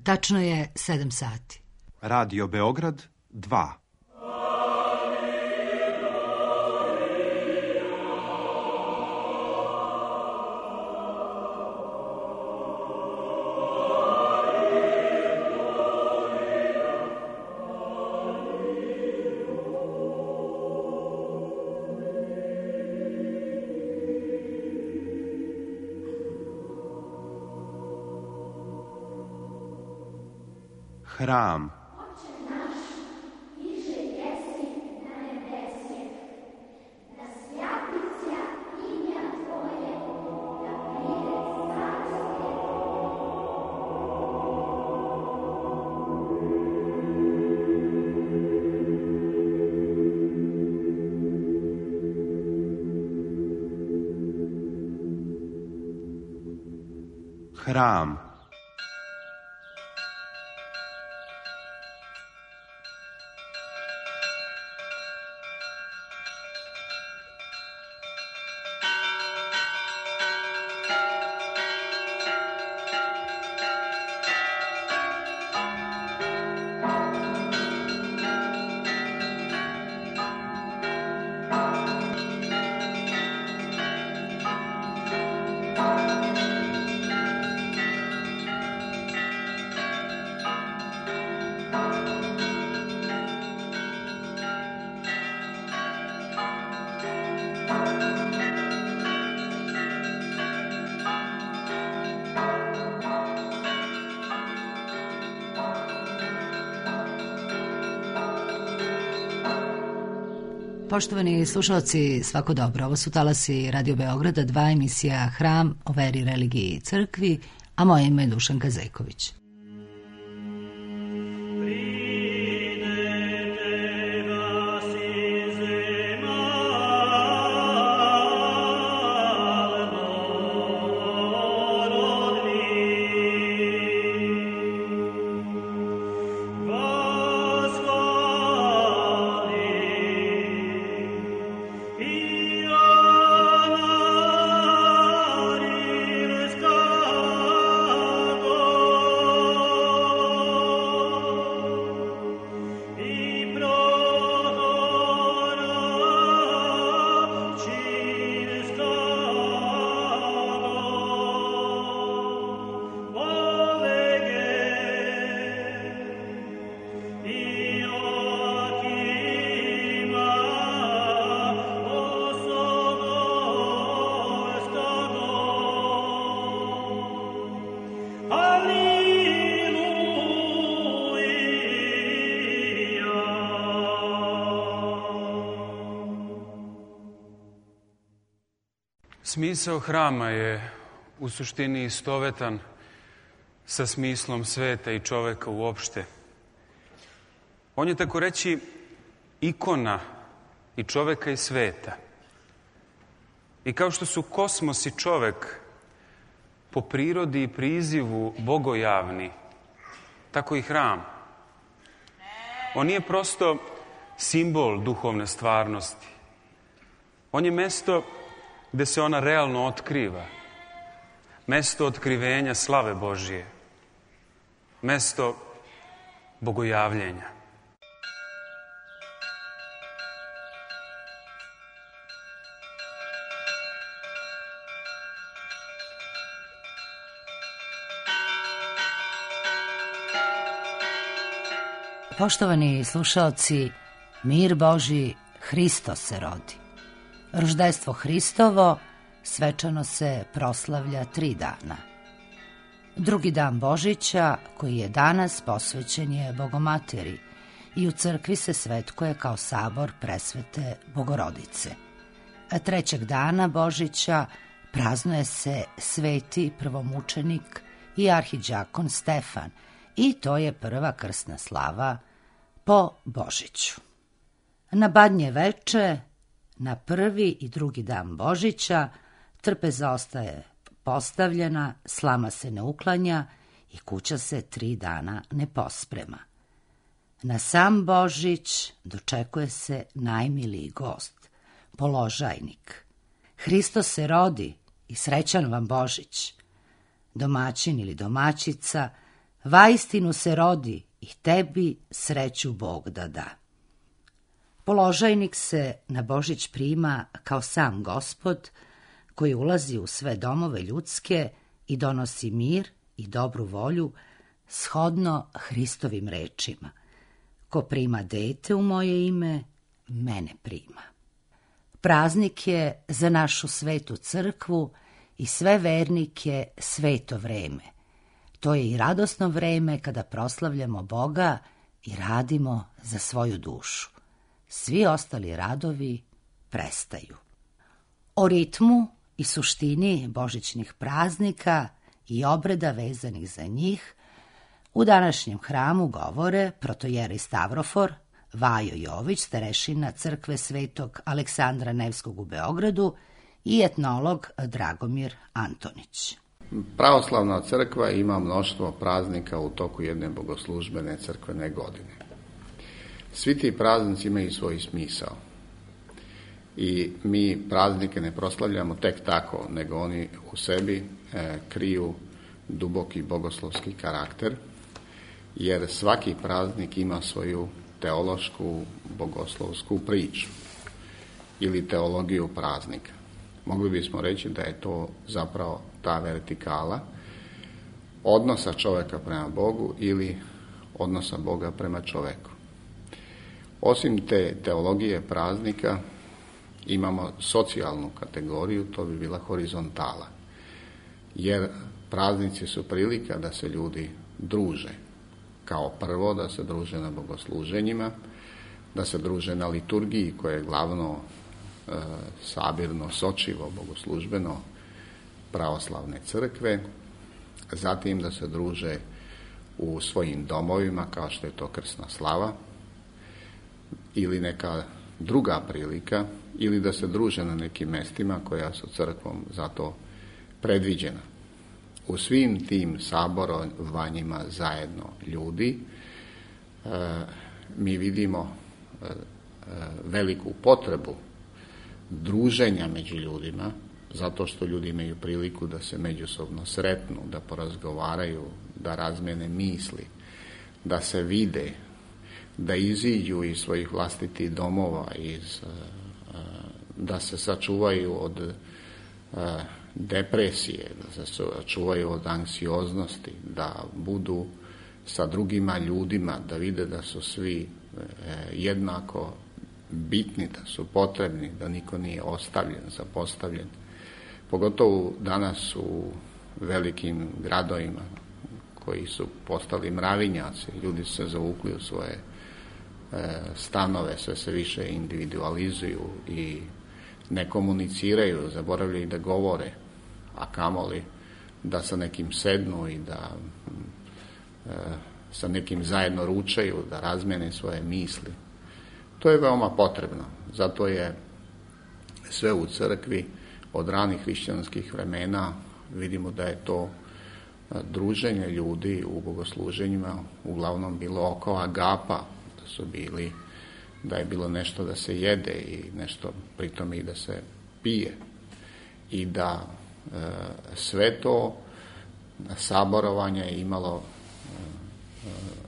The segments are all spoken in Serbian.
Tačno je 7 sati. Radio Beograd 2. Hram. Hram. Poštovani slušalci, svako dobro. Ovo su talasi Radio Beograda 2, emisija Hram o veri, religiji i crkvi, a moje ime je Dušanka Zejković. Smisao hrama je u suštini istovetan sa smislom sveta i čoveka uopšte. On je, tako reći, ikona i čoveka i sveta. I kao što su kosmos i čovek po prirodi i prizivu bogojavni, tako i hram. On nije prosto simbol duhovne stvarnosti. On je mesto gde se ona realno otkriva. Mesto otkrivenja slave Božije. Mesto bogojavljenja. Poštovani slušaoci, mir Božji, Hristos se rodi. Roždejstvo Hristovo svečano se proslavlja 3 dana. Drugi dan Božića, koji je danas, posvećen je Bogomateri i u crkvi se svetkuje kao sabor presvete Bogorodice. A 3. dana Božića praznuje se sveti prvomučenik i arhiđakon Stefan i to je prva krsna slava po Božiću. Na Badnje veče, na prvi i drugi dan Božića, trpeza ostaje postavljena, slama se ne uklanja i kuća se 3 dana ne posprema. Na sam Božić dočekuje se najmiliji gost, položajnik. Hristos se rodi i srećan vam Božić. Domaćin ili domaćica vaistinu se rodi i tebi sreću Bog da da. Položajnik se na Božić prima kao sam Gospod, koji ulazi u sve domove ljudske i donosi mir i dobru volju, shodno Hristovim rečima. Ko prima dete u moje ime, mene prima. Praznik je za našu svetu crkvu i sve vernike sveto vreme. To je i radosno vreme kada proslavljamo Boga i radimo za svoju dušu. Svi ostali radovi prestaju. O ritmu i suštini božićnih praznika i obreda vezanih za njih u današnjem hramu govore protojerej Stavrofor, Vajo Jović, starešina crkve Svetog Aleksandra Nevskog u Beogradu i etnolog Dragomir Antonić. Pravoslavna crkva ima mnoštvo praznika u toku jedne bogoslužbene crkvene godine. Svi ti praznici imaju svoj smisao. I mi praznike ne proslavljamo tek tako, nego oni u sebi kriju duboki bogoslovski karakter, jer svaki praznik ima svoju teološku, bogoslovsku priču ili teologiju praznika. Mogli bismo reći da je to zapravo ta vertikala odnosa čovjeka prema Bogu ili odnosa Boga prema čovjeku. Osim te teologije praznika imamo socijalnu kategoriju, to bi bila horizontala. Jer praznici su prilika da se ljudi druže. Kao prvo da se druže na bogosluženjima, da se druže na liturgiji koja je glavno sabirno, sočivo, bogoslužbeno pravoslavne crkve, zatim da se druže u svojim domovima kao što je to krsna slava ili neka druga prilika, ili da se druže na nekim mestima koja su crkvom za to predviđena. U svim tim saborovanjima zajedno ljudi mi vidimo veliku potrebu druženja među ljudima, zato što ljudi imaju priliku da se međusobno sretnu, da porazgovaraju, da razmene misli, da se vide, da iziđu iz svojih vlastitih domova, da se sačuvaju od depresije, da se sačuvaju od anksioznosti, da budu sa drugima ljudima, da vide da su svi jednako bitni, da su potrebni, da niko nije ostavljen, zapostavljen. Pogotovo danas u velikim gradovima koji su postali mravinjaci, ljudi su se zavukli u svoje stanove, sve se više individualizuju i ne komuniciraju, zaboravljaju da govore, a kamoli da sa nekim sednu i da sa nekim zajedno ručaju, da razmene svoje misli. To je veoma potrebno, zato je sve u crkvi od ranih hrišćanskih vremena vidimo da je to druženje ljudi u bogosluženjima uglavnom bilo oko agapa, da je bilo nešto da se jede i nešto pritom i da se pije i da sve to saborovanje je imalo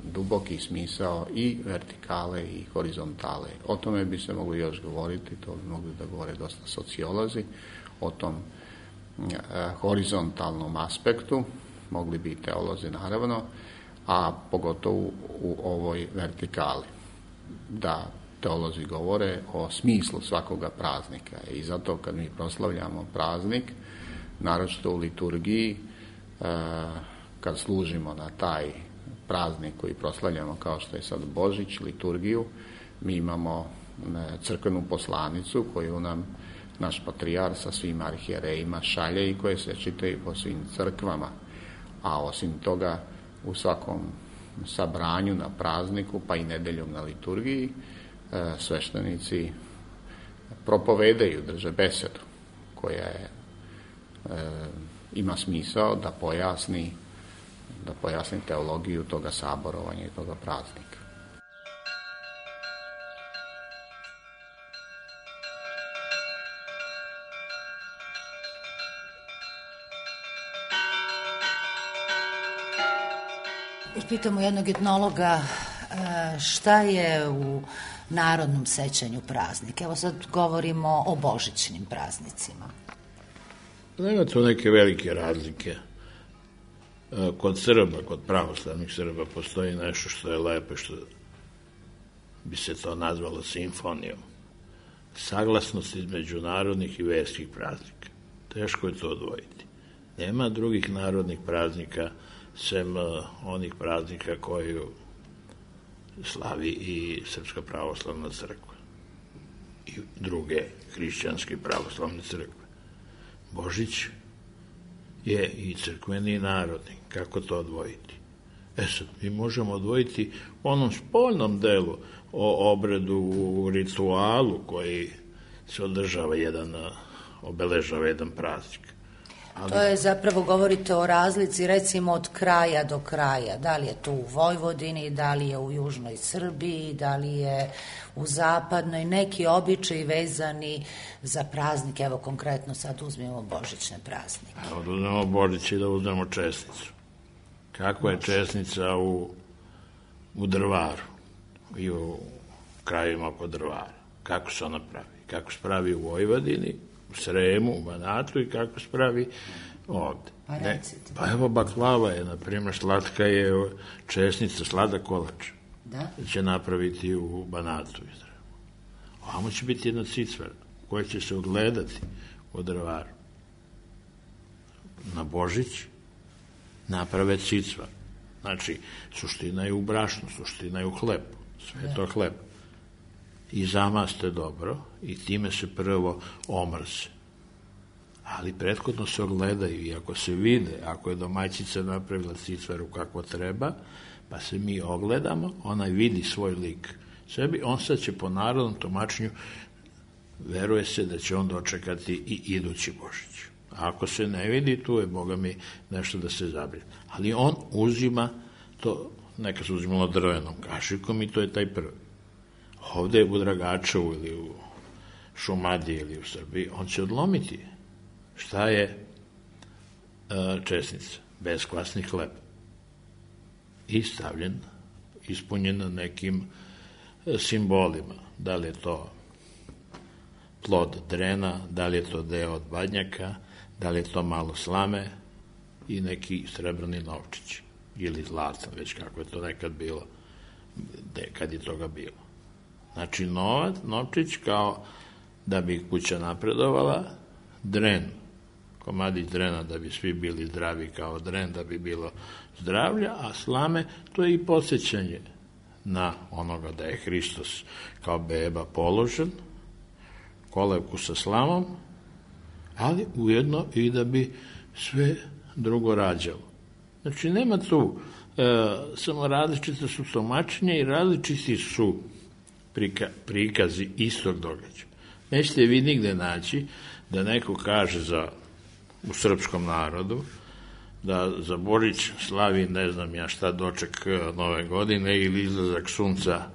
duboki smisao i vertikale i horizontale. O tome bi se mogli još govoriti, to bi mogli da govore dosta sociolozi, o tom horizontalnom aspektu, mogli bi i teolozi naravno, a pogotovo u ovoj vertikali. Da teolozi govore o smislu svakoga praznika i zato kad mi proslavljamo praznik, naročito u liturgiji, kad služimo na taj praznik koji proslavljamo kao što je sad Božić, liturgiju, mi imamo crkvenu poslanicu koju nam naš patrijar sa svim arhijerejima šalje i koje se čitaju po svim crkvama. A osim toga u svakom sabranju na prazniku, pa i nedeljom na liturgiji, sveštenici propovedaju, drže besedu koja ima smisao da pojasni teologiju toga saborovanja i toga praznika. sad pitamo jednog etnologa šta je u narodnom sećanju praznik. Evo sad govorimo o božićnim praznicima. Nema tu neke velike razlike. Kod Srba, kod pravoslavnih Srba postoji nešto što je lepo, što bi se to nazvalo simfonijom. Saglasnost između narodnih i verskih praznika. Teško je to odvojiti. Nema drugih narodnih praznika sem onih praznika koju slavi i Srpska pravoslavna crkva i druge hrišćanske pravoslavne crkve. Božić je i crkveni i narodni. Kako to odvojiti? Sad, mi možemo odvojiti u onom spoljnom delu o obredu, u ritualu koji se obeležava jedan praznik. Ali... To je zapravo, govorite o razlici recimo od kraja do kraja. Da li je to u Vojvodini, da li je u južnoj Srbiji, da li je u zapadnoj, neki običaji vezani za praznik. Evo konkretno sad uzmemo božićne praznike. Evo da uzmemo Božić i da uzmemo česnicu. Kakva je česnica u Drvaru i u krajevima oko Drvara? Kako se ona pravi? Kako se pravi u Vojvodini, u Sremu, u Banatu i kako se pravi ovde? Pa recite. Pa evo baklava je, na primjer, slatka je česnica, sladak kolač. Da? Će napraviti u Banatu. Ovamo će biti jedna cicvara koja će se ogledati u Drvaru. Na Božić naprave cicvar. Znači, suština je u brašnu, suština je u hlebu. Sve je to hleb. I zamaste dobro i time se prvo omrze. Ali prethodno se ogledaju i ako se vide, ako je domaćica napravila cicvaru kako treba, pa se mi ogledamo, ona vidi svoj lik sebi, on sad će po narodnom tumačenju, veruje se da će on dočekati i idući Božić. A ako se ne vidi, tu je, Boga mi, nešto da se zabrine. Ali on uzima to, neka se uzimalo drvenom kašikom i to je taj prvi. Ovde u Dragačevu ili u Šumadiji ili u Srbiji, on će odlomiti. Šta je česnica? Beskvasni hleb. I stavljen, ispunjen na nekim simbolima. Da li je to plod drena, da li je to deo od badnjaka, da li je to malo slame i neki srebrni novčić ili zlatan, već kako je to nekad bilo, kad je toga bilo. Znači, novčić kao da bi kuća napredovala, dren, komadić drena da bi svi bili zdravi kao dren, da bi bilo zdravlja, a slame, to je i podsjećanje na onoga da je Hristos kao beba položen, kolevku sa slamom, ali ujedno i da bi sve drugo rađalo. Znači, nema tu, samo različite su tumačenja i različiti su prikazi istog događaja. Nećete vi nigde naći da neko kaže u srpskom narodu da za Božić slavi ne znam ja šta doček nove godine ili izlazak sunca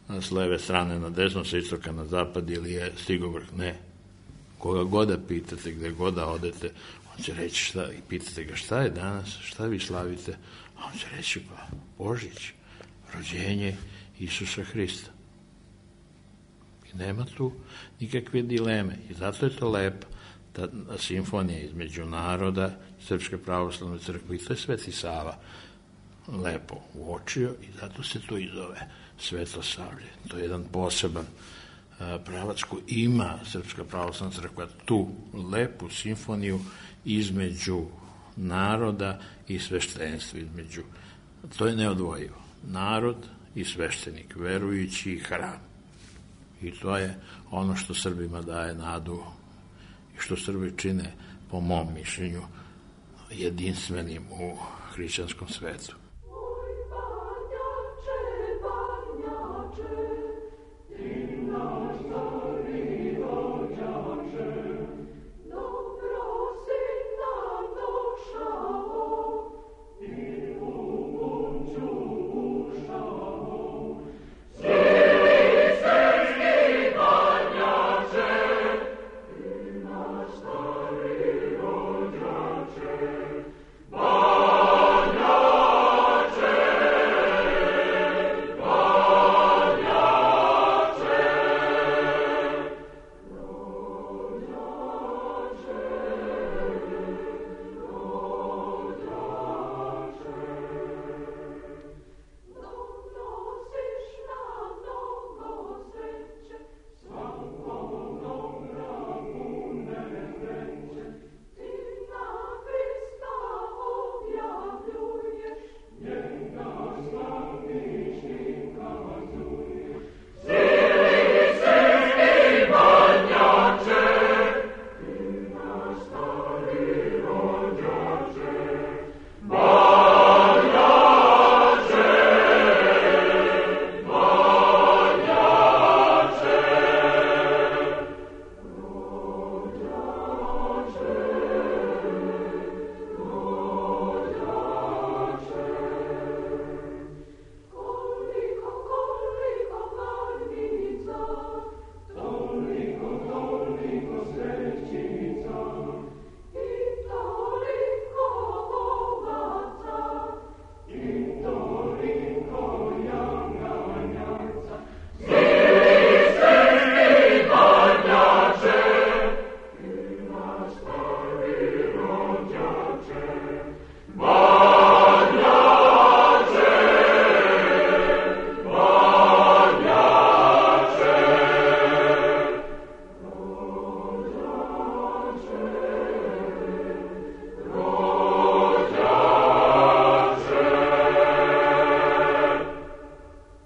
s leve strane na desno, sa istoka na zapad ili je stigo vrh. Ne. Koga god da pitate, gde god da odete, on će reći šta, i pitate ga šta je danas, šta vi slavite, a on će reći pa Božić, rođenje Isusa Hrista. I nema tu nikakve dileme. I zato je to lepo, ta simfonija između naroda, Srpske pravoslavne crkve, i to je Sveti Sava lepo uočio i zato se to i zove Svetosavlje. To je jedan poseban pravac koji ima Srpska pravoslavna crkva, tu lepu simfoniju između naroda i sveštenstva, to je neodvojivo. Narod i sveštenik, verujući i hram. I to je ono što Srbima daje nadu i što Srbi čine, po mom mišljenju, jedinstvenim u hrišćanskom svetu. Banja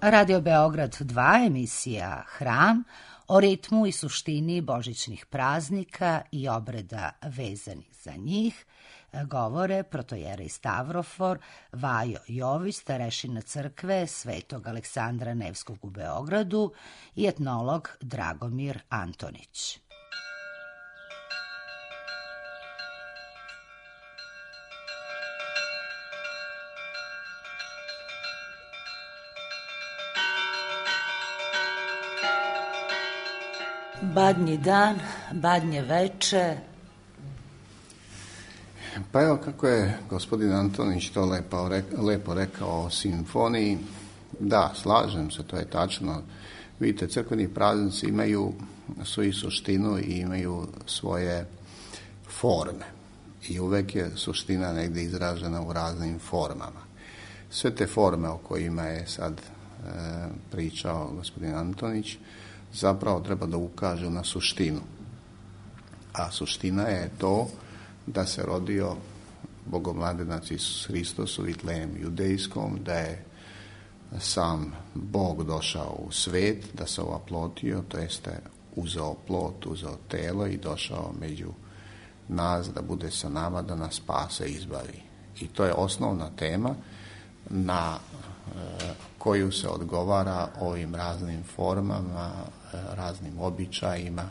Radio Beograd 2, emisija Hram, o ritmu i suštini božićnih praznika i obreda vezanih za njih, govore protojera Stavrofor Vajo Jović, starešina crkve Svetog Aleksandra Nevskog u Beogradu i etnolog Dragomir Antonić. Badnji dan, badnje veče. Pa evo kako je gospodin Antonić to lepo rekao o simfoniji. Da, slažem se, to je tačno. Vidite, crkveni praznici imaju svoju suštinu i imaju svoje forme. I uvek je suština negdje izražena u raznim formama. Sve te forme o kojima je sad pričao gospodin Antonić zapravo treba da ukažu na suštinu. A suština je to da se rodio Bogomladenac Isus Hristos u Vitlejemu judejskom, da je sam Bog došao u svet, da se ovaplotio, to jeste uzeo plot, uzeo telo i došao među nas da bude sa nama, da nas spase i izbavi. I to je osnovna tema na koju se odgovara ovim raznim formama, raznim običajima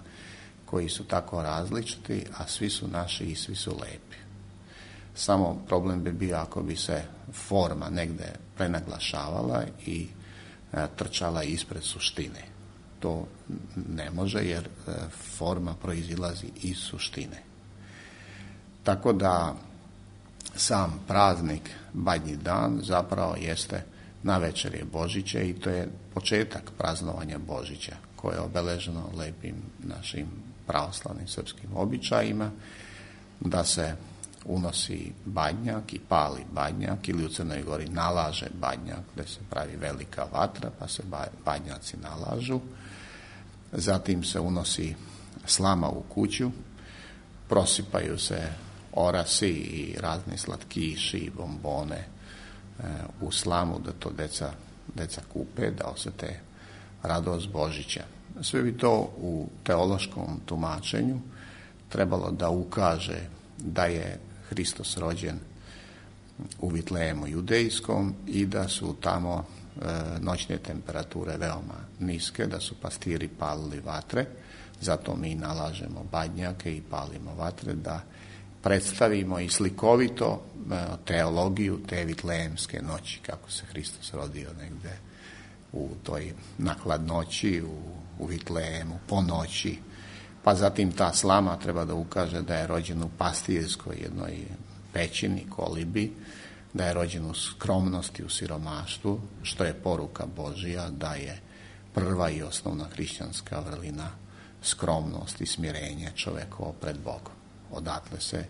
koji su tako različiti, a svi su naši i svi su lepi. Samo problem bi bio ako bi se forma negde prenaglašavala i trčala ispred suštine. To ne može jer forma proizilazi iz suštine. Tako da sam praznik Badnji dan zapravo jeste navečer Božiće i to je početak praznovanja Božića koje je obeleženo lepim našim pravoslavnim srpskim običajima, da se unosi badnjak i pali badnjak ili u Crnoj Gori nalaže badnjak, gde se pravi velika vatra pa se badnjaci nalažu. Zatim se unosi slama u kuću, prosipaju se orasi i razni slatkiši i bombone u slamu da to deca kupe, da osete radost Božića. Sve bi to u teološkom tumačenju trebalo da ukaže da je Hristos rođen u Vitlejemu judejskom i da su tamo noćne temperature veoma niske, da su pastiri palili vatre, zato mi nalažemo badnjake i palimo vatre da predstavimo i slikovito teologiju te vitlejemske noći, kako se Hristos rodio negde u toj nakladnoći, u Vitlejemu, po noći. Pa zatim ta slama treba da ukaže da je rođen u pastirskoj jednoj pećini, kolibi, da je rođen u skromnosti, u siromaštvu, što je poruka Božija da je prva i osnovna hrišćanska vrlina skromnost i smirenje čovekovo pred Bogom. Odatle se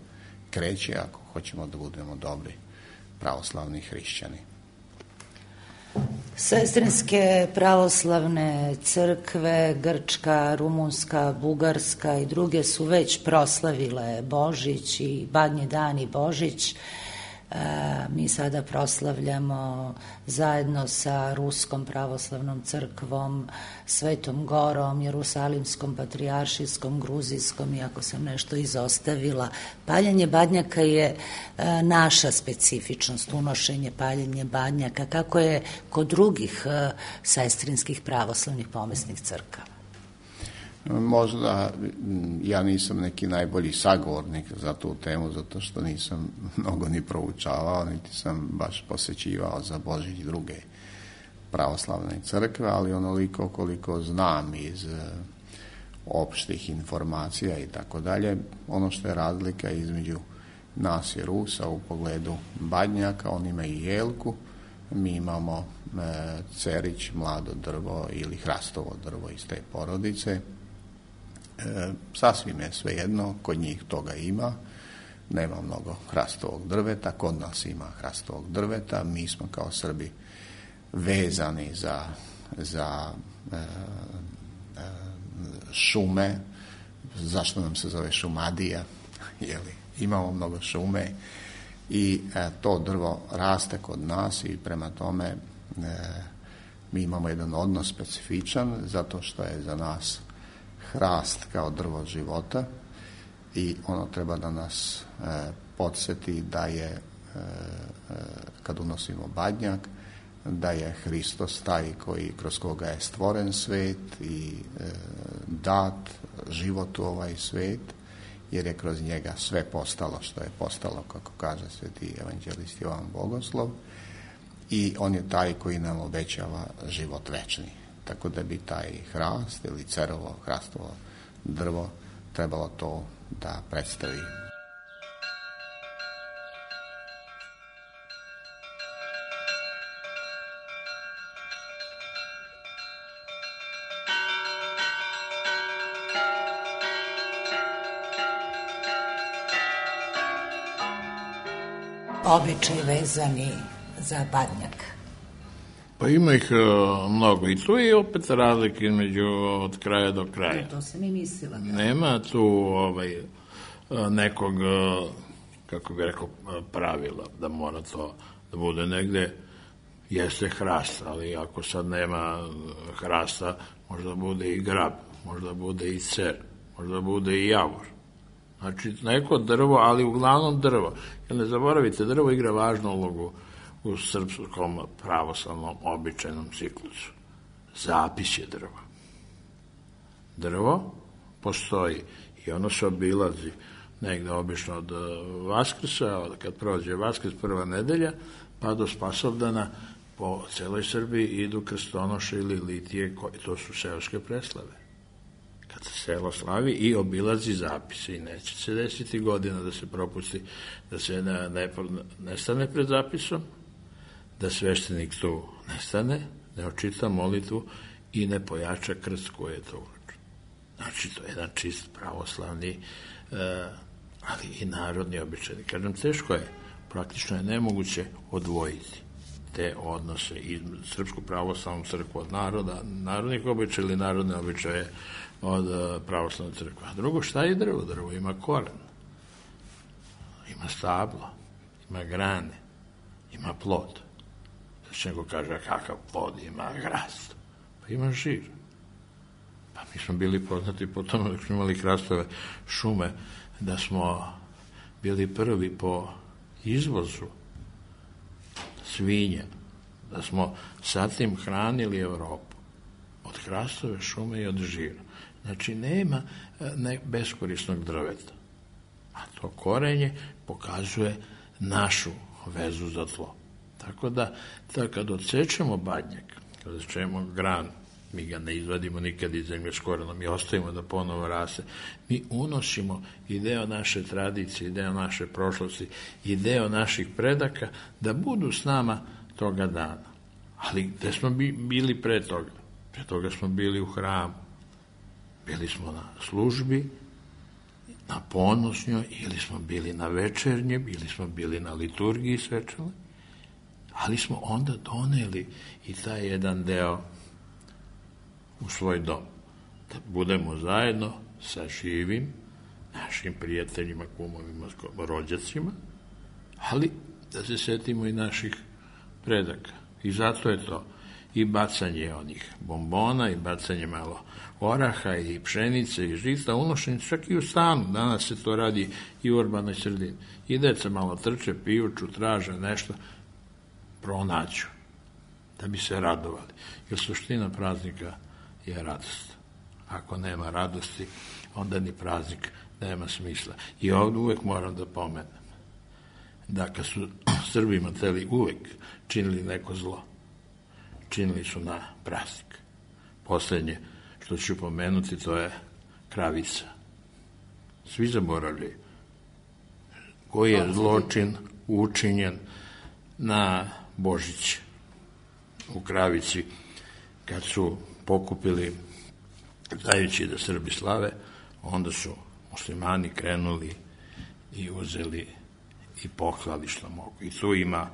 kreće ako hoćemo da budemo dobri pravoslavni hrišćani. Sestrinske pravoslavne crkve, grčka, rumunska, bugarska i druge su već proslavile Božić i Badnji dan i Božić. Mi sada proslavljamo zajedno sa Ruskom pravoslavnom crkvom, Svetom Gorom, Jerusalimskom, Patrijaršijskom, Gruzijskom, iako sam nešto izostavila. Paljenje badnjaka je naša specifičnost, unošenje, paljenje badnjaka, kako je kod drugih sestrinskih pravoslavnih pomesnih crkava. Možda ja nisam neki najbolji sagovornik za tu temu, zato što nisam mnogo ni proučavao, niti sam baš posećivao za Božić druge pravoslavne crkve, ali onoliko koliko znam iz opštih informacija i tako dalje, ono što je razlika između nas i Rusa u pogledu badnjaka, on ima i jelku, mi imamo cerić, mlado drvo ili hrastovo drvo iz te porodice. Sasvim je svejedno, kod njih toga ima, nema mnogo hrastovog drveta, kod nas ima hrastovog drveta, mi smo kao Srbi vezani za šume, zašto nam se zove šumadija, jeli, imamo mnogo šume i to drvo raste kod nas i prema tome Mi imamo jedan odnos specifičan zato što je za nas hrast kao drvo života i ono treba da nas podsjeti da je, kad unosimo badnjak, da je Hristos taj kroz koga je stvoren svet i dat život u ovaj svet, jer je kroz njega sve postalo što je postalo, kako kaže sveti evanđelist Jovan Bogoslov, i on je taj koji nam obećava život večni. Tako da bi taj hrast ili cerovo, hrastovo drvo trebalo to da predstavi. Običaj vezani za badnjak. Pa ima ih mnogo i tu je opet razlike između od kraja do kraja. To sam i mislila. Nema tu nekog, kako bi rekao, pravila da mora to da bude negde. Jeste hrast, ali ako sad nema hrasta, možda bude i grab, možda bude i cer, možda bude i javor. Znači, neko drvo, ali uglavnom drvo. Jer ne zaboravite, drvo igra važnu ulogu u srpskom pravoslavnom običajnom ciklusu. Zapis je drva. Drvo postoji i ono se obilazi negde obično od Vaskrsa, kad prođe Vaskrs, prva nedelja, pa do Spasovdana po celoj Srbiji idu krstonoše ili litije, to su seoske preslave. Kad se selo slavi i obilazi zapise i neće se desiti godina da se propusti, da se nestane pred zapisom, da sveštenik tu nestane, ne očita molitvu i ne pojača krst koji je to uračen. Znači, to je jedan čist pravoslavni, ali i narodni običaj. Kažem, teško je, praktično je nemoguće odvojiti te odnose i Srpsku pravoslavnu crkvu od narodnih običaja ili narodne običaje od pravoslavne crkve. A drugo, šta je drvo? Drvo ima koren, ima stablo, ima grane, ima plod. Znači, neko kaže, kakav plod ima hrast? Pa ima žir. Pa mi smo bili poznati po tome da smo imali hrastove šume, da smo bili prvi po izvozu svinja, da smo sa tim hranili Evropu od hrastove šume i od žira. Znači, nema beskorisnog drveta. A to korenje pokazuje našu vezu za tlo. Tako da, kad odsečemo badnjak, kad odsečemo gran, mi ga ne izvadimo nikad iz zemlje s korenom, mi ostavimo da ponovo raste, mi unosimo i deo naše tradicije, i deo naše prošlosti, i deo naših predaka, da budu s nama toga dana. Ali gde smo bili pre toga? Pre toga smo bili u hramu. Bili smo na službi, na ponosnjoj, ili smo bili na večernjem, ili smo bili na liturgiji svečane, ali smo onda doneli i taj jedan deo u svoj dom. Da budemo zajedno sa živim, našim prijateljima, kumovima, rođacima, ali da se setimo i naših predaka. I zato je to i bacanje onih bombona, i bacanje malo oraha, i pšenice, i žita, unošenje čak i u stanu. Danas se to radi i u urbanoj sredini. I deca malo trče, pijuču, traže nešto, pronaću, da bi se radovali. Jer suština praznika je radost. Ako nema radosti, onda ni praznik nema smisla. I ovdje uvek moram da pomenem da kad su Srbima uvek činili neko zlo, činili su na praznik. Poslednje što ću pomenuti, to je kravica. Svi zaboravljaju koji je zločin učinjen na Božić u Kravici, kad su pokupili, znajući da Srbi slave, onda su muslimani krenuli i uzeli i poklali što mogu. I tu ima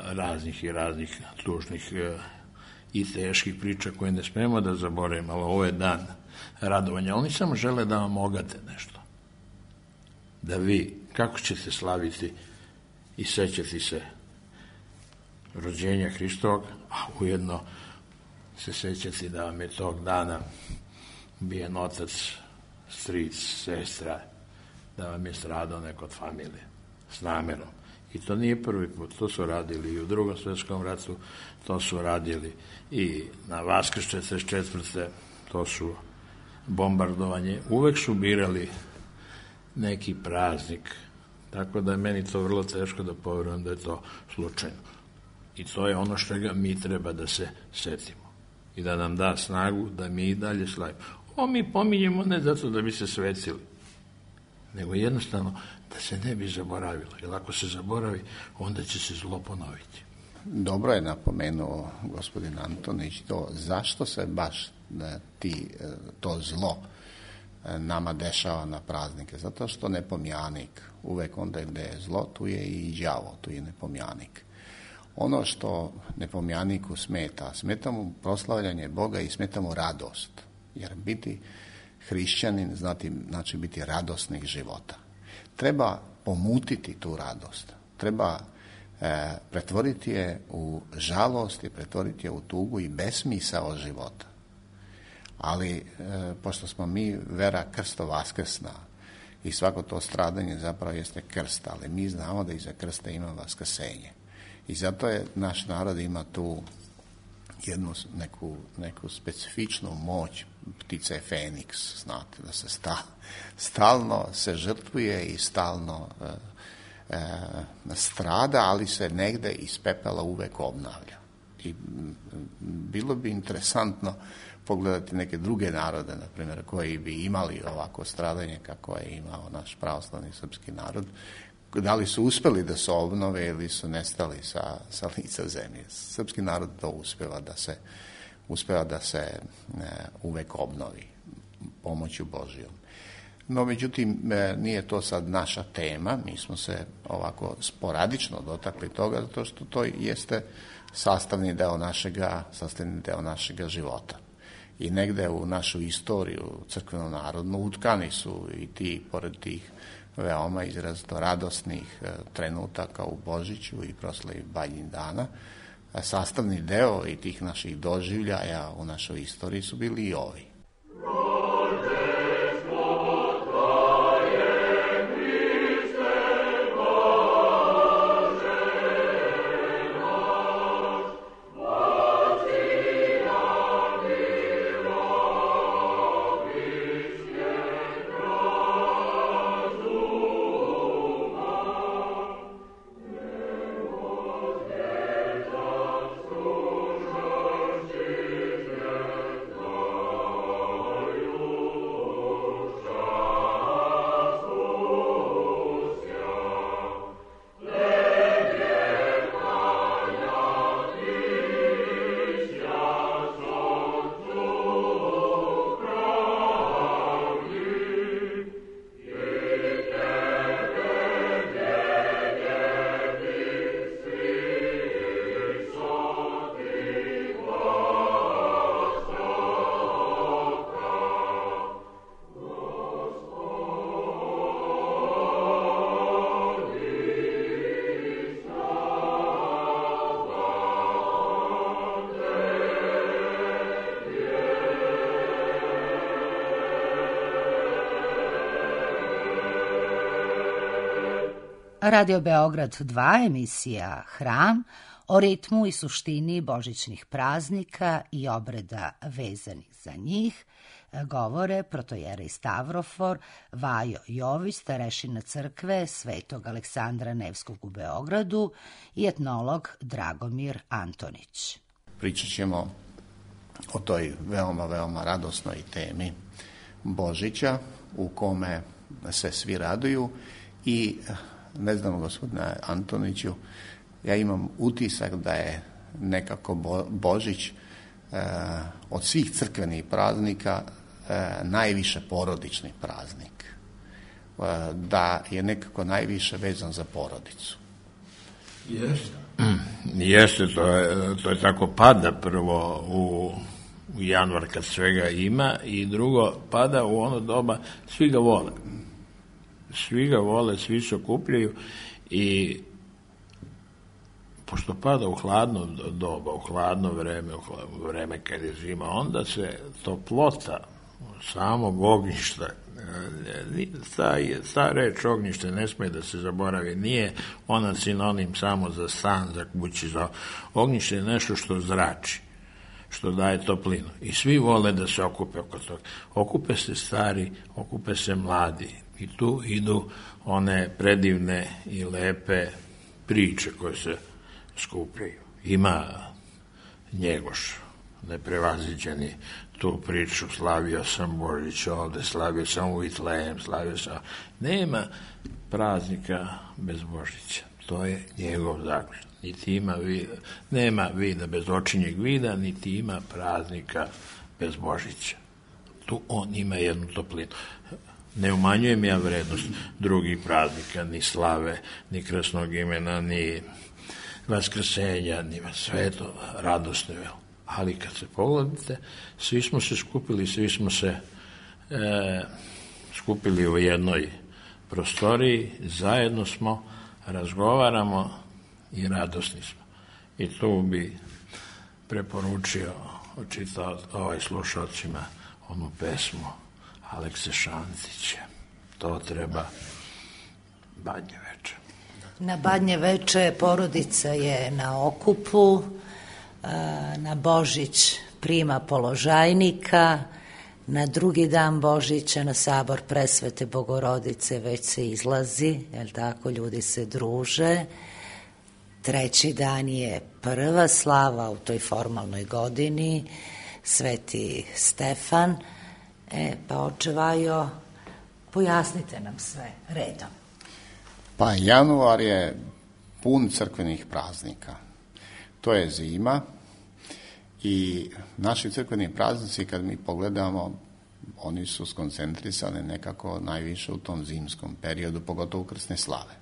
raznih i raznih tužnih i teških priča koje ne smemo da zaboravimo, ali ovo je dan radovanja. Oni samo žele da vam ogate nešto. Da vi, kako ćete slaviti i sećati se rođenja Hristovog, a ujedno se sećati da vam je tog dana ubijen otac, stric, sestra, da vam je stradao neko od familije s namerom. I to nije prvi put, to su radili i u Drugom svjetskom ratu, to su radili i na Vaskrs 44. To su bombardovanje. Uvek su birali neki praznik, tako da je meni to vrlo teško da poverujem da je to slučajno. I to je ono što ga mi treba da se setimo i da nam da snagu da mi i dalje slavimo. Ovo mi pominjemo ne zato da bi se svetili, nego jednostavno da se ne bi zaboravilo. Jer ako se zaboravi, onda će se zlo ponoviti. Dobro je napomenuo gospodin Antonić to zašto se baš to zlo nama dešava na praznike. Zato što nepomjanik, uvek onda gde je zlo, tu je i đavo, tu je nepomjanik. Ono što nepomjaniku smeta mu proslavljanje Boga i smeta mu radost. Jer biti hrišćanin znači biti radosnih života. Treba pomutiti tu radost. Treba pretvoriti je u žalost i pretvoriti je u tugu i besmisao života. Ali, pošto smo mi vera krsto-vaskrsna i svako to stradanje zapravo jeste krst, ali mi znamo da iza krsta ima vaskrsenje. I zato je naš narod ima tu jednu neku specifičnu moć ptice Feniks, znate, da se stalno se žrtvuje i stalno strada, ali se negde iz pepela uvek obnavlja. I bilo bi interesantno pogledati neke druge narode, na primjer, koji bi imali ovako stradanje kako je imao naš pravoslavni srpski narod. Da li su uspeli da se obnove ili su nestali sa lica zemlje. Srpski narod to uspeva da se uvek obnovi pomoću Božijom. No, međutim, nije to sad naša tema, mi smo se ovako sporadično dotakli toga, zato što to jeste sastavni deo našega života. I negde u našu istoriju crkveno-narodnu utkani su i ti, pored tih veoma izrazito radosnih trenutaka u Božiću i proslavi Bajnjih-dana, sastavni deo i tih naših doživljaja u našoj istoriji su bili i ovi. Radio Beograd 2, emisija Hram, o ritmu i suštini božićnih praznika i obreda vezanih za njih, govore protojerej Stavrofor, Vajo Jović, starešina crkve Svetog Aleksandra Nevskog u Beogradu i etnolog Dragomir Antonić. Pričat ćemo o toj veoma radosnoj temi Božića u kome se svi raduju i ne znam, gospodine Antoniću, ja imam utisak da je nekako Božić od svih crkvenih praznika najviše porodični praznik. Da je nekako najviše vezan za porodicu. Jeste, to je tako, pada prvo u januar kad svega ima i drugo pada u ono doba, svi ga vole. Svi ga vole, svi se okupljaju i pošto pada u hladno doba, u hladno vreme, u vreme kad je zima, onda se toplota samog ognjišta, ta reč ognjište ne smije da se zaboravi, nije ona sinonim samo za stan, za kući, za ognjište je nešto što zrači, što daje toplinu. I svi vole da se okupe oko toga. Okupe se stari, okupe se mladi. I tu idu one predivne i lepe priče koje se skupljaju. Ima Njegoš, neprevaziđeni, tu priču, slavio sam Božić ovde, slavio sam u Vitlejem, slavio sam... Nema praznika bez Božića. To je njegov zaključak. Niti ima nema vida bez očinjeg vida, niti ima praznika bez Božića. Tu on ima jednu toplinu. Ne umanjujem ja vrednost drugih praznika, ni slave, ni krasnog imena, ni vaskrsenja, ni sve to radosno. Ali kad se pogledate, svi smo se skupili, svi smo se skupili u jednoj prostoriji, zajedno smo, razgovaramo i radosni smo. I tu bi preporučio, čitao slušalcima onu pesmu Alekse Šantića. To treba Badnje veče. Na Badnje veče porodica je na okupu, na Božić prima položajnika, na drugi dan Božića na sabor Presvete Bogorodice već se izlazi, jel tako, ljudi se druže. Treći dan je prva slava u toj formalnoj godini, Sveti Stefan. Pa oče Vajo, pojasnite nam sve redom. Pa januar je pun crkvenih praznika. To je zima i naši crkveni praznici, kad mi pogledamo, oni su skoncentrisani nekako najviše u tom zimskom periodu, pogotovo krsne slave.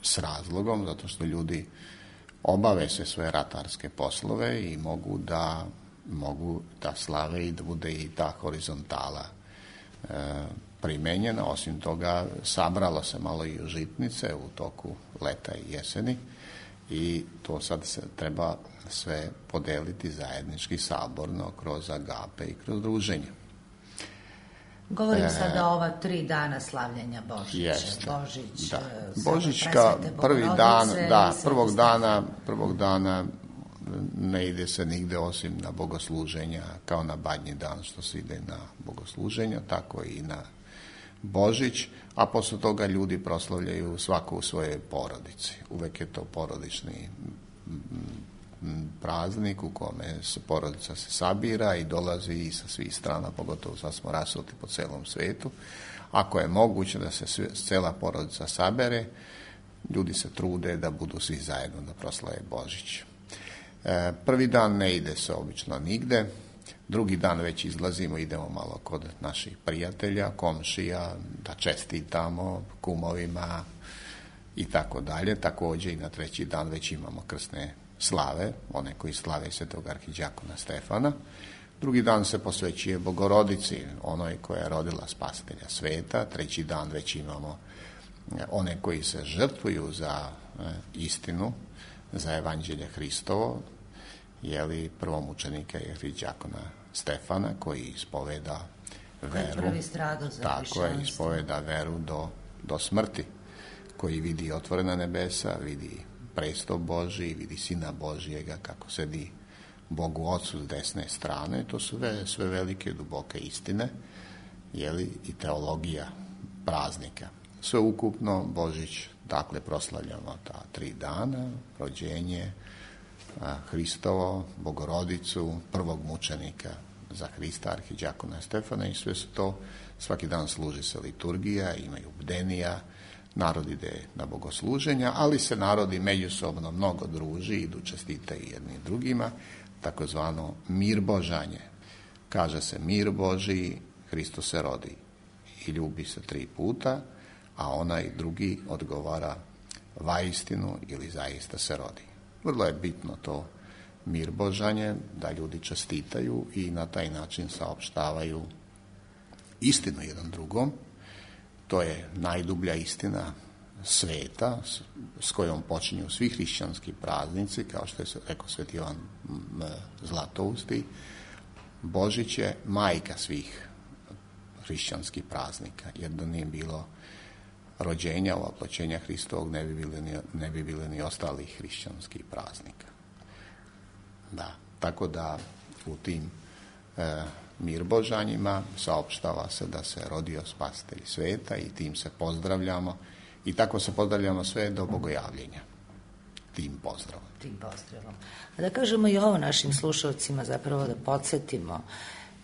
S razlogom, zato što ljudi obave sve svoje ratarske poslove i mogu da slave i da bude i ta horizontala primenjena. Osim toga, sabralo se malo i žitnice u toku leta i jeseni i to sad se treba sve podeliti zajednički, saborno, kroz agape i kroz druženje. Govorim sada o ova 3 dana slavljenja Božića. Jeste, Božić, da. Božićka, prvog dana ne ide se nigde osim na bogosluženja, kao na Badnji dan što se ide na bogosluženja, tako i na Božić, a posle toga ljudi proslavljaju svako u svojoj porodici. Uvek je to porodični praznik u kome porodica se sabira i dolazi i sa svih strana, pogotovo sad smo rasuti po celom svetu. Ako je moguće da se cela porodica sabere, ljudi se trude da budu svi zajedno da proslave Božić. Prvi dan ne ide se obično nigde, drugi dan već izlazimo, idemo malo kod naših prijatelja, komšija, da čestitamo kumovima i tako dalje. Takođe i na treći dan već imamo krsne slave, one koji slave svetog arhidijakona Stefana. Drugi dan se posvećuje Bogorodici, onoj koja je rodila spasitelja sveta. Treći dan već imamo one koji se žrtvuju za istinu, za evanđelje Hristovo, prvomučenika je arhidijakona Stefana, koji ispoveda veru. Prvi strado za tako je, ispoveda veru do smrti, koji vidi otvorena nebesa, vidi presto Božiji, vidi Sina Božijega kako sedi Bogu Otcu s desne strane. To su sve velike, duboke istine, i teologija praznika. Sve ukupno Božić, dakle, proslavljamo ta 3 dana, rođenje Hristovo, Bogorodicu, prvog mučenika za Hrista, arhidijakona Stefana, i sve su to, svaki dan služi se liturgija, imaju bdenija, narod ide na bogosluženja, ali se narodi međusobno mnogo druži, idu čestitaju jedni drugima, takozvano mirbožanje. Kaže se mir Božiji, Hristos se rodi i ljubi se 3 puta, a onaj drugi odgovara vaistinu ili zaista se rodi. Vrlo je bitno to mirbožanje, da ljudi čestitaju i na taj način saopštavaju istinu jedan drugom. To je najdublja istina sveta s kojom počinju svi hrišćanski praznici, kao što je rekao sveti Ivan Zlatousti. Božić je majka svih hrišćanskih praznika, jer da nije bilo rođenja, oploćenja Hristovog, ne bi bili ni ostalih hrišćanskih praznika. Da, tako da u tim mirbožanjima saopštava se da se rodio spasitelj sveta i tim se pozdravljamo i tako se pozdravljamo sve do bogojavljenja. Tim pozdravom. A da kažemo i ovo našim slušalcima, zapravo da podsjetimo,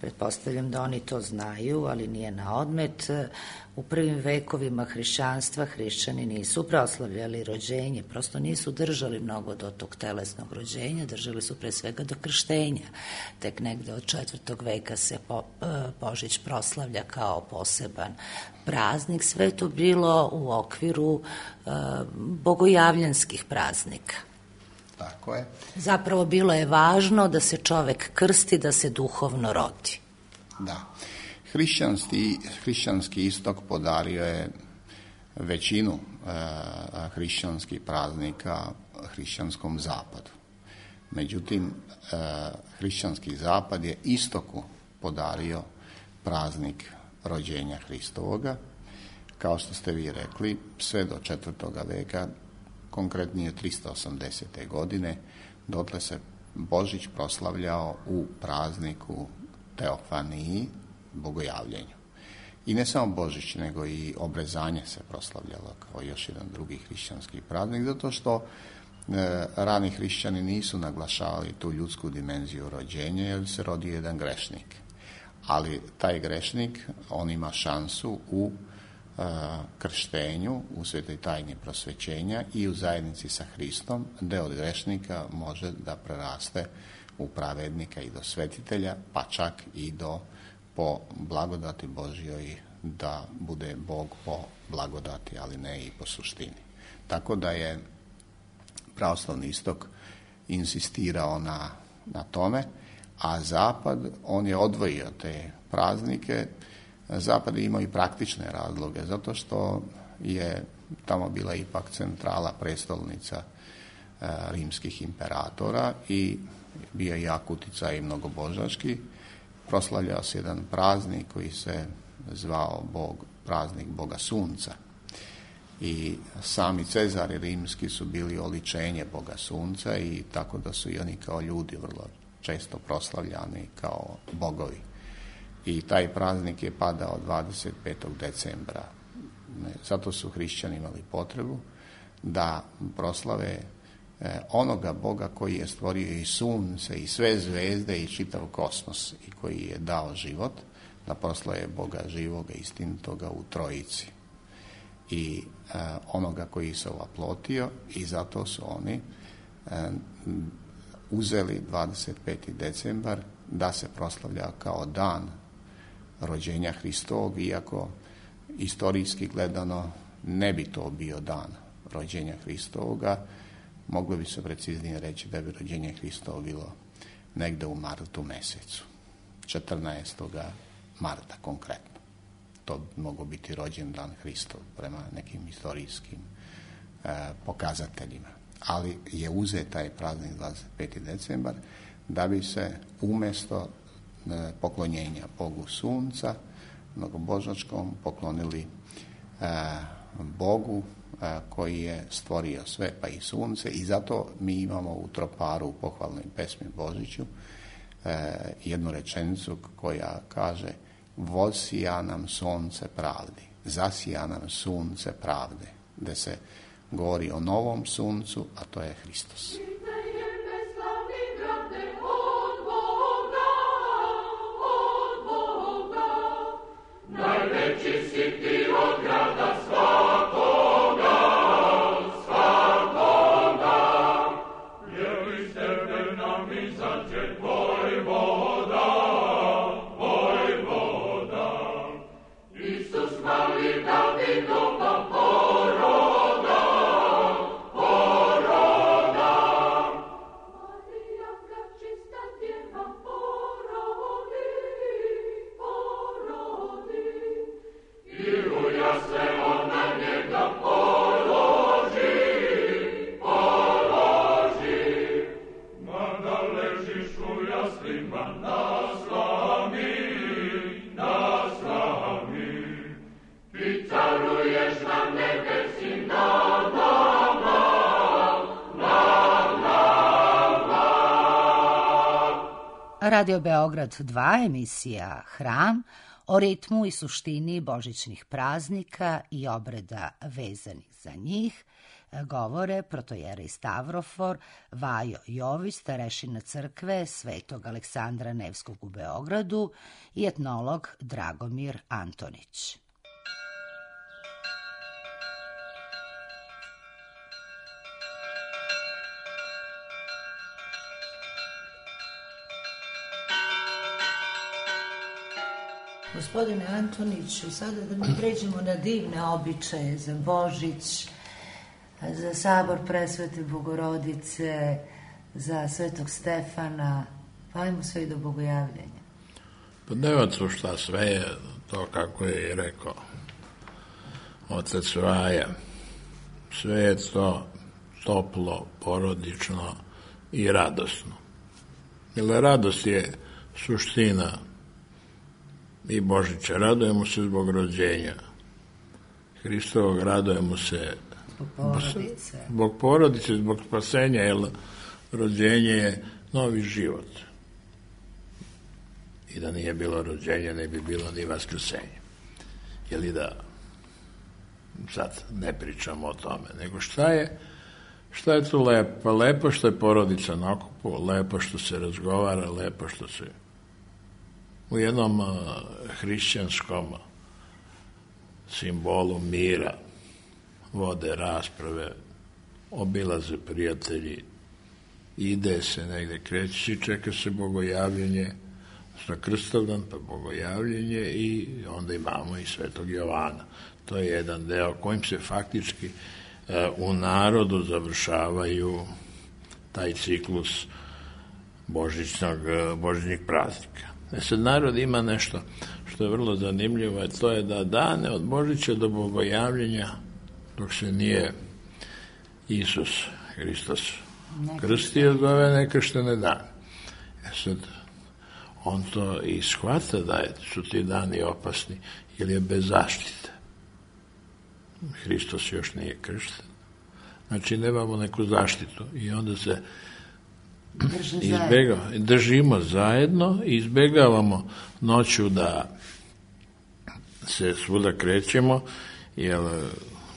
pretpostavljam da oni to znaju, ali nije na odmet. U prvim vekovima hrišćanstva hrišćani nisu proslavljali rođenje, prosto nisu držali mnogo do tog telesnog rođenja, držali su pre svega do krštenja. Tek negde od 4. veka se Božić proslavlja kao poseban praznik. Sve to bilo u okviru bogojavljanskih praznika. Tako je. Zapravo bilo je važno da se čovek krsti, da se duhovno rodi. Da. Hrišćanski istok podario je većinu hrišćanskih praznika hrišćanskom zapadu. Međutim, hrišćanski zapad je istoku podario praznik rođenja Hristovoga. Kao što ste vi rekli, sve do 4. veka, konkretnije 380. godine, dotle se Božić proslavljao u prazniku Teofaniji, bogojavljenju. I ne samo Božić, nego i obrezanje se proslavljalo kao još jedan drugi hrišćanski praznik, zato što rani hrišćani nisu naglašavali tu ljudsku dimenziju rođenja, jer se rodio jedan grešnik. Ali taj grešnik, on ima šansu u krštenju, u svetoj tajni prosvećenja i u zajednici sa Hristom, da od grešnika može da preraste u pravednika i do svetitelja, pa čak i do po blagodati Božjoj da bude Bog po blagodati, ali ne i po suštini. Tako da je pravoslavni istok insistirao na tome, a Zapad, on je odvojio te praznike. Zapad je imao i praktične razloge, zato što je tamo bila ipak centrala, prestolnica rimskih imperatora i bio je jak uticaj mnogobožački. Proslavljao se jedan praznik koji se zvao praznik Boga Sunca. I sami Cezari rimski su bili oličenje Boga Sunca i tako da su i oni kao ljudi vrlo često proslavljani kao bogovi. I taj praznik je padao 25. decembra. Zato su hrišćani imali potrebu da proslave onoga Boga koji je stvorio i sunce i sve zvezde i čitav kosmos i koji je dao život, da proslave Boga živoga, istinitoga u Trojici. I onoga koji se ovaplotio i zato su oni uzeli 25. decembar da se proslavlja kao dan rođenja Hristovog, iako istorijski gledano ne bi to bio dan rođenja Hristovoga. Moglo bi se preciznije reći da bi rođenje Hristova bilo negde u martu mesecu, 14. marta konkretno. To bi moglo biti rođendan Hristov prema nekim istorijskim pokazateljima. Ali je uzet taj praznik 25. decembar da bi se umjesto poklonjenja Bogu Sunca, mnogobožačkom, poklonili Bogu koji je stvorio sve, pa i sunce, i zato mi imamo u troparu u pohvalnoj pesmi Božiću jednu rečenicu koja kaže: "Vosija nam sunce pravdi, zasija nam sunce pravde", gde se govori o novom suncu, a to je Hristos. Najveći si ti od grada svakoga, svakoga, jer iz tebe nam izađe vojvoda, vojvoda. Isus mali Davidova poroda, poroda, Radio Beograd 2, emisija Hram, o ritmu i suštini božićnih praznika i obreda vezanih za njih, govore protojera i Stavrofor Vajo Jović, starešina crkve Svetog Aleksandra Nevskog u Beogradu i etnolog Dragomir Antonić. Gospodine Antoniću, sada da mi pređemo na divne običaje za Božić, za sabor Presvete Bogorodice, za Svetog Stefana, pa ajmo sve i do Bogojavljenja. Pa nema tu šta, sve je to kako je i rekao otac Vaja. Sve je to toplo, porodično i radosno. Jer radost je suština i Božića. Radujemo se zbog rođenja Hristovog, radujemo se zbog porodice, zbog spasenja, jer rođenje je novi život. I da nije bilo rođenja, ne bi bilo ni vaskrsenja. Jeli da sad ne pričamo o tome, nego šta je tu lepo? Lepo što je porodica na okupu, lepo što se razgovara, lepo što se u jednom hrišćanskom simbolu mira vode rasprave, obilaze prijatelji, ide se negde, kreće, čeka se bogojavljenje, na Krstovdan, pa bogojavljenje i onda imamo i Svetog Jovana. To je jedan deo kojim se faktički u narodu završavaju taj ciklus božićnih praznika. Sad narod ima nešto što je vrlo zanimljivo, a to je da dane od Božića do bogojavljenja, dok se nije Isus Hristos krstio, zove nekrštene dane. Sad, on to i shvata da su ti dani opasni, jer je bez zaštite. Hristos još nije kršten. Znači, nemamo neku zaštitu i onda se držimo zajedno i izbegavamo noću da se svuda krećemo, jer,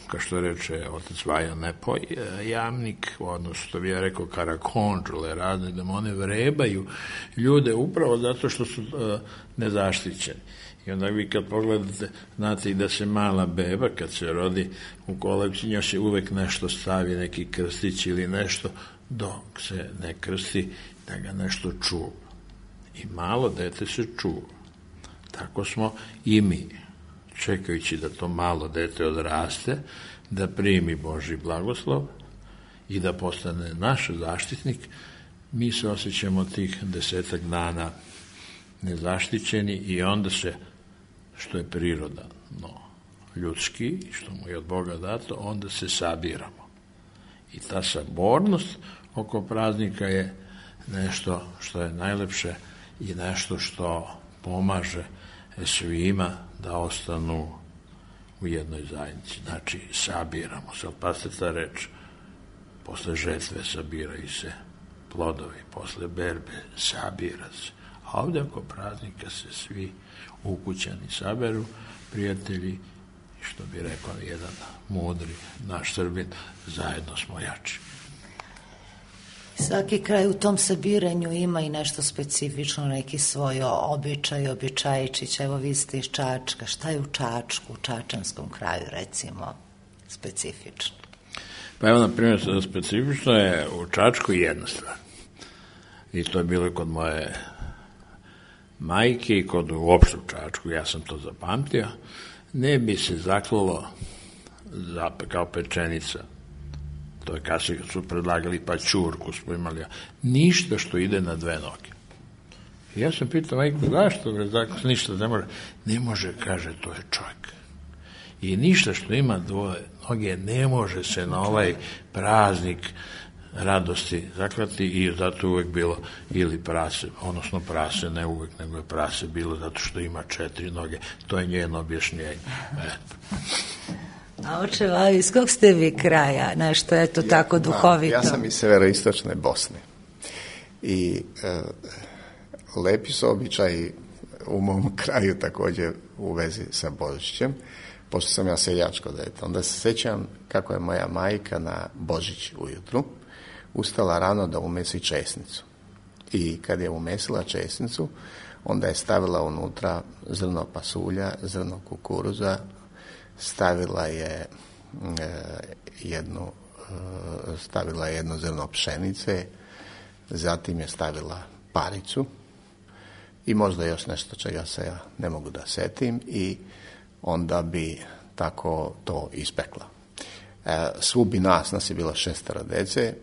kao što reče otac Vaja, Nepoj, jamnik, odnosno što bi ja rekao karakonđule, razne demone vrebaju ljude upravo zato što su nezaštićeni. I onda vi kad pogledate, znate i da se mala beba kad se rodi u kolevci, njoj se uvek nešto stavi, neki krstić ili nešto, dok se ne krsti, da ga nešto čuva. I malo dete se čuva. Tako smo i mi, čekajući da to malo dete odraste, da primi Božji blagoslov i da postane naš zaštitnik, mi se osjećamo tih 10 dana nezaštićeni i onda se, što je prirodno ljudski, što mu je od Boga dato, onda se sabiramo. I ta sabornost oko praznika je nešto što je najlepše i nešto što pomaže svima da ostanu u jednoj zajednici. Znači, sabiramo se, pazite ta reč, posle žetve sabiraju se plodovi, posle berbe sabira se. A ovdje oko praznika se svi ukućani saberu, prijatelji, što bi rekao jedan mudri naš Srbin, zajedno smo jači. Svaki kraj u tom sabiranju ima i nešto specifično, neki svoj običaj, običajčić. Evo, vi ste iz Čačka. Šta je u Čačku, u Čačanskom kraju, recimo, specifično? Pa evo, na primjer, specifično je u Čačku jedna stvar. I to je bilo kod moje majke i kod uopšte u Čačku, ja sam to zapamtio. Ne bi se zaklalo kao pečenica. To je kad su predlagali pa ćurku smo imali. Ništa što ide na 2 noge. I ja sam pitao majku, zašto ništa ne može? Ne može, kaže, to je čovjek. I ništa što ima 2 noge ne može se na ovaj praznik radosti zaklati i zato uvek bilo ili prase, odnosno prase, ne uvek, nego je prase bilo zato što ima 4 noge. To je njeno objašnjenje. A očeva, iz kog ste vi kraja? Nešto je to tako duhovito? Ja sam iz severoistočne Bosne. I lepi su običaji u mom kraju također u vezi sa Božićem, pošto sam ja seljačko dete. Onda se sjećam kako je moja majka na Božić ujutru ustala rano da umesi česnicu. I kad je umesila česnicu, onda je stavila unutra zrno pasulja, zrno kukuruza, stavila je jedno zrno pšenice, zatim je stavila paricu i možda još nešto čega se ja ne mogu da setim i onda bi tako to ispekla. Svu bi nas je bilo 6 dece,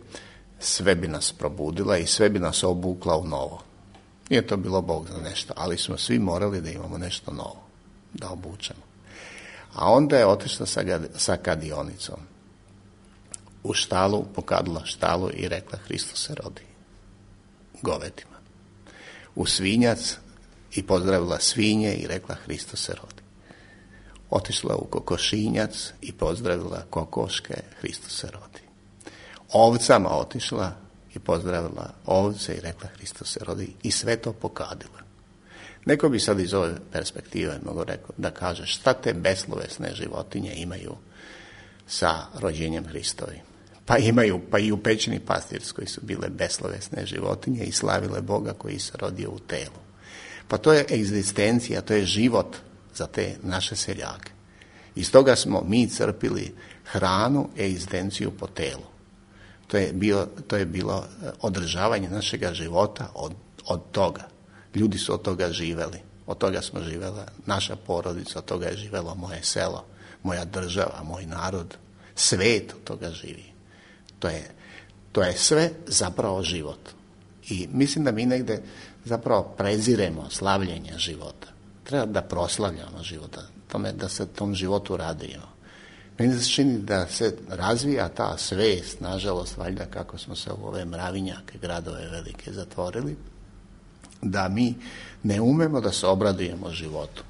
sve bi nas probudila i sve bi nas obukla u novo. Nije to bilo Bog za nešto, ali smo svi morali da imamo nešto novo, da obučemo. A onda je otišla sa kadionicom u štalu, pokadila štalu i rekla Hristos se rodi govedima. U svinjac i pozdravila svinje i rekla Hristos se rodi. Otišla u kokošinjac i pozdravila kokoške, Hristos se rodi. Ovcama otišla i pozdravila ovce i rekla Hristos se rodi i sve to pokadila. Neko bi sad iz ove perspektive mogo rekao da kaže šta te beslovesne životinje imaju sa rođenjem Hristovim. Pa imaju, pa i u pećini pastirskoj su bile beslovesne životinje i slavile Boga koji se rodio u telu. Pa to je egzistencija, to je život za te naše seljake. Iz toga smo mi crpili hranu, egzistenciju po telu. To je bilo održavanje našega života od toga. Ljudi su od toga živeli. Od toga smo živela naša porodica, od toga je živelo moje selo, moja država, moj narod. Svet od toga živi. To je sve zapravo život. I mislim da mi negde zapravo preziremo slavljenje života. Treba da proslavljamo života, da se tom životu radimo. Meni se čini da se razvija ta svest, nažalost, valjda kako smo se u ove mravinjake, gradove velike zatvorili, da mi ne umemo da se obradujemo životu.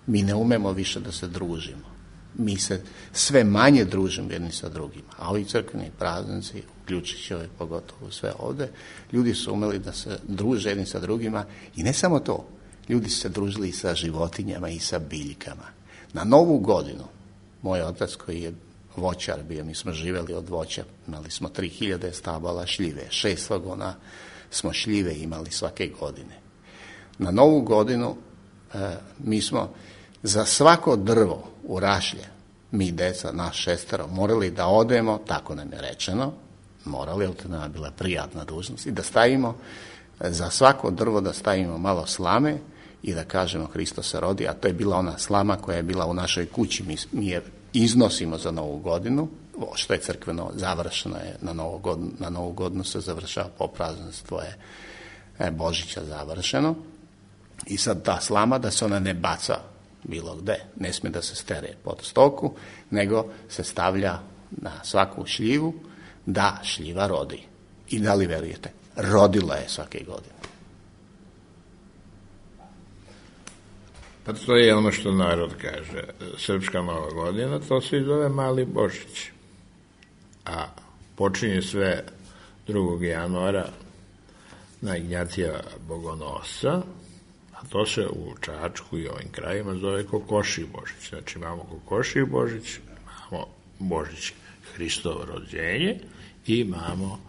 Mi ne umemo više da se družimo. Mi se sve manje družimo jedni sa drugima. A ovi crkveni praznici, uključujući ove pogotovo sve ovde, ljudi su umeli da se druže jedni sa drugima i ne samo to. Ljudi su se družili i sa životinjama i sa biljkama. Na Novu godinu, moj otac koji je voćar bio, mi smo živeli od voća, imali smo 3000 stabala šljive, 6 vagona smo šljive imali svake godine. Na Novu godinu mi smo za svako drvo u rašlje, mi deca, naš 6, morali da odemo, tako nam je rečeno, morali, jer to nam je bila prijatna dužnost, i da stavimo, za svako drvo da stavimo malo slame i da kažemo Hristos se rodi, a to je bila ona slama koja je bila u našoj kući, mi je iznosimo za Novu godinu, što je crkveno završeno je na Novu godinu se završava po prazništvu je Božića završeno i sad ta slama da se ona ne baca bilo gde, ne smije da se stere pod stoku, nego se stavlja na svaku šljivu da šljiva rodi. I da li verujete, rodila je svake godine. Pa to je ono što narod kaže. Srpska Nova godina, to se zove Mali Božić. A počinje sve 2. januara na Ignjatija Bogonosca, a to se u Čačku i ovim krajima zove Kokošji Božić. Znači imamo Kokošji Božić, imamo Božić Hristovo rođenje i imamo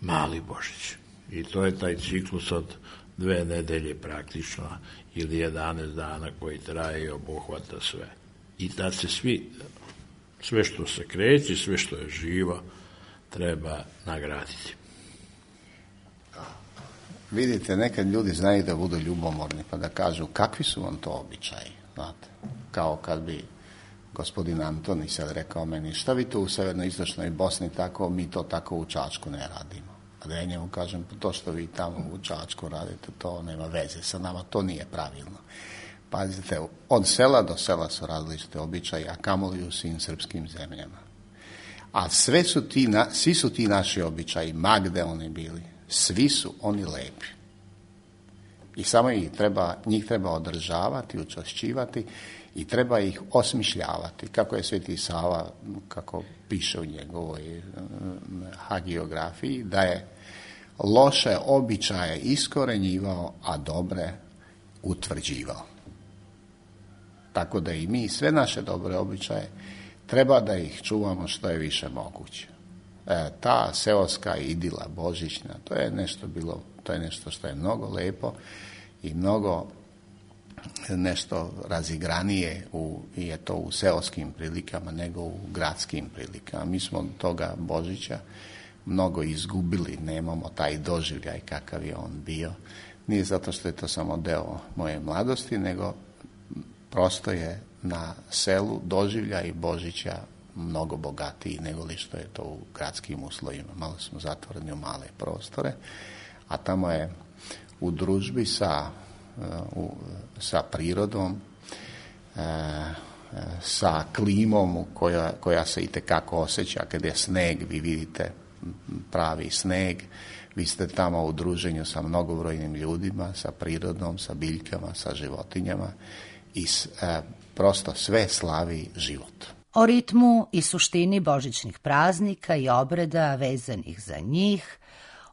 Mali Božić. I to je taj ciklus od 2 nedelje praktično ili 11 dana koji traje i obuhvata sve. I da se sve što se kreće, sve što je živo, treba nagraditi. Vidite, nekad ljudi znaju da budu ljubomorni pa da kažu kakvi su vam to običaji, znate. Kao kad bi gospodin Antoni sad rekao meni, šta vi to u severno-istočnoj Bosni tako, mi to tako u Čačku ne radimo. A da ja njemu kažem, to što vi tamo u Čačku radite, to nema veze sa nama, to nije pravilno. Pazite, od sela do sela su različite običaje, a kamoli u svim srpskim zemljama. A svi su ti naši običaji, ma gde oni bili, svi su oni lepi. I samo njih treba održavati, učvršćivati i treba ih osmišljavati. Kako je Sveti Sava, kako piše u njegovoj hagiografiji, da je loše običaje iskorenjivao, a dobre utvrđivao. Tako da i mi sve naše dobre običaje treba da ih čuvamo što je više moguće. Ta seoska idila božićna, to je nešto što je mnogo lepo i mnogo nešto razigranije je to u seoskim prilikama nego u gradskim prilikama. Mi smo toga Božića mnogo izgubili, nemamo taj doživljaj kakav je on bio. Nije zato što je to samo deo moje mladosti, nego prosto je na selu doživljaj Božića mnogo bogatiji nego li što je to u gradskim uslovima. Malo smo zatvoreni u male prostore, a tamo je u družbi sa prirodom, sa klimom koja se itekako osjeća. Kad je sneg, vi vidite pravi sneg, vi ste tamo u druženju sa mnogobrojnim ljudima, sa prirodom, sa biljkama, sa životinjama i prosto sve slavi život. O ritmu i suštini božićnih praznika i obreda vezanih za njih,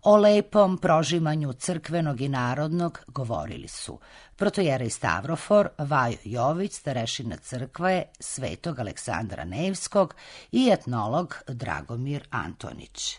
o lepom prožimanju crkvenog i narodnog govorili su protojerej Stavrofor, Vajo Jović, starešina crkve Svetog Aleksandra Nevskog i etnolog Dragomir Antonić.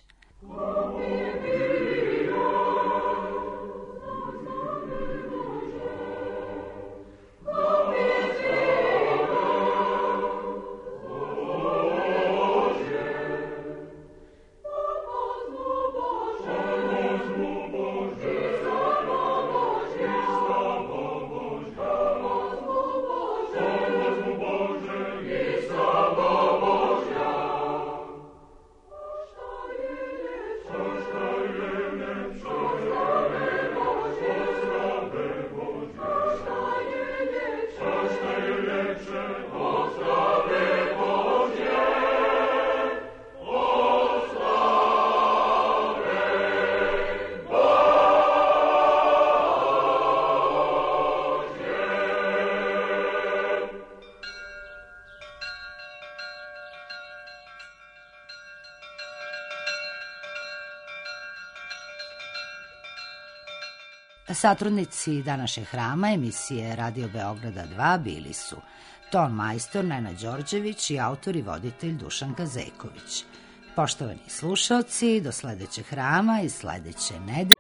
Satrudnici današnjeg hrama emisije Radio Beograda 2 bili su ton majstor Nenad Đorđević i autor i voditelj Dušan Kazeković. Poštovani slušaoci, do sledećeg hrama i sledeće nedelje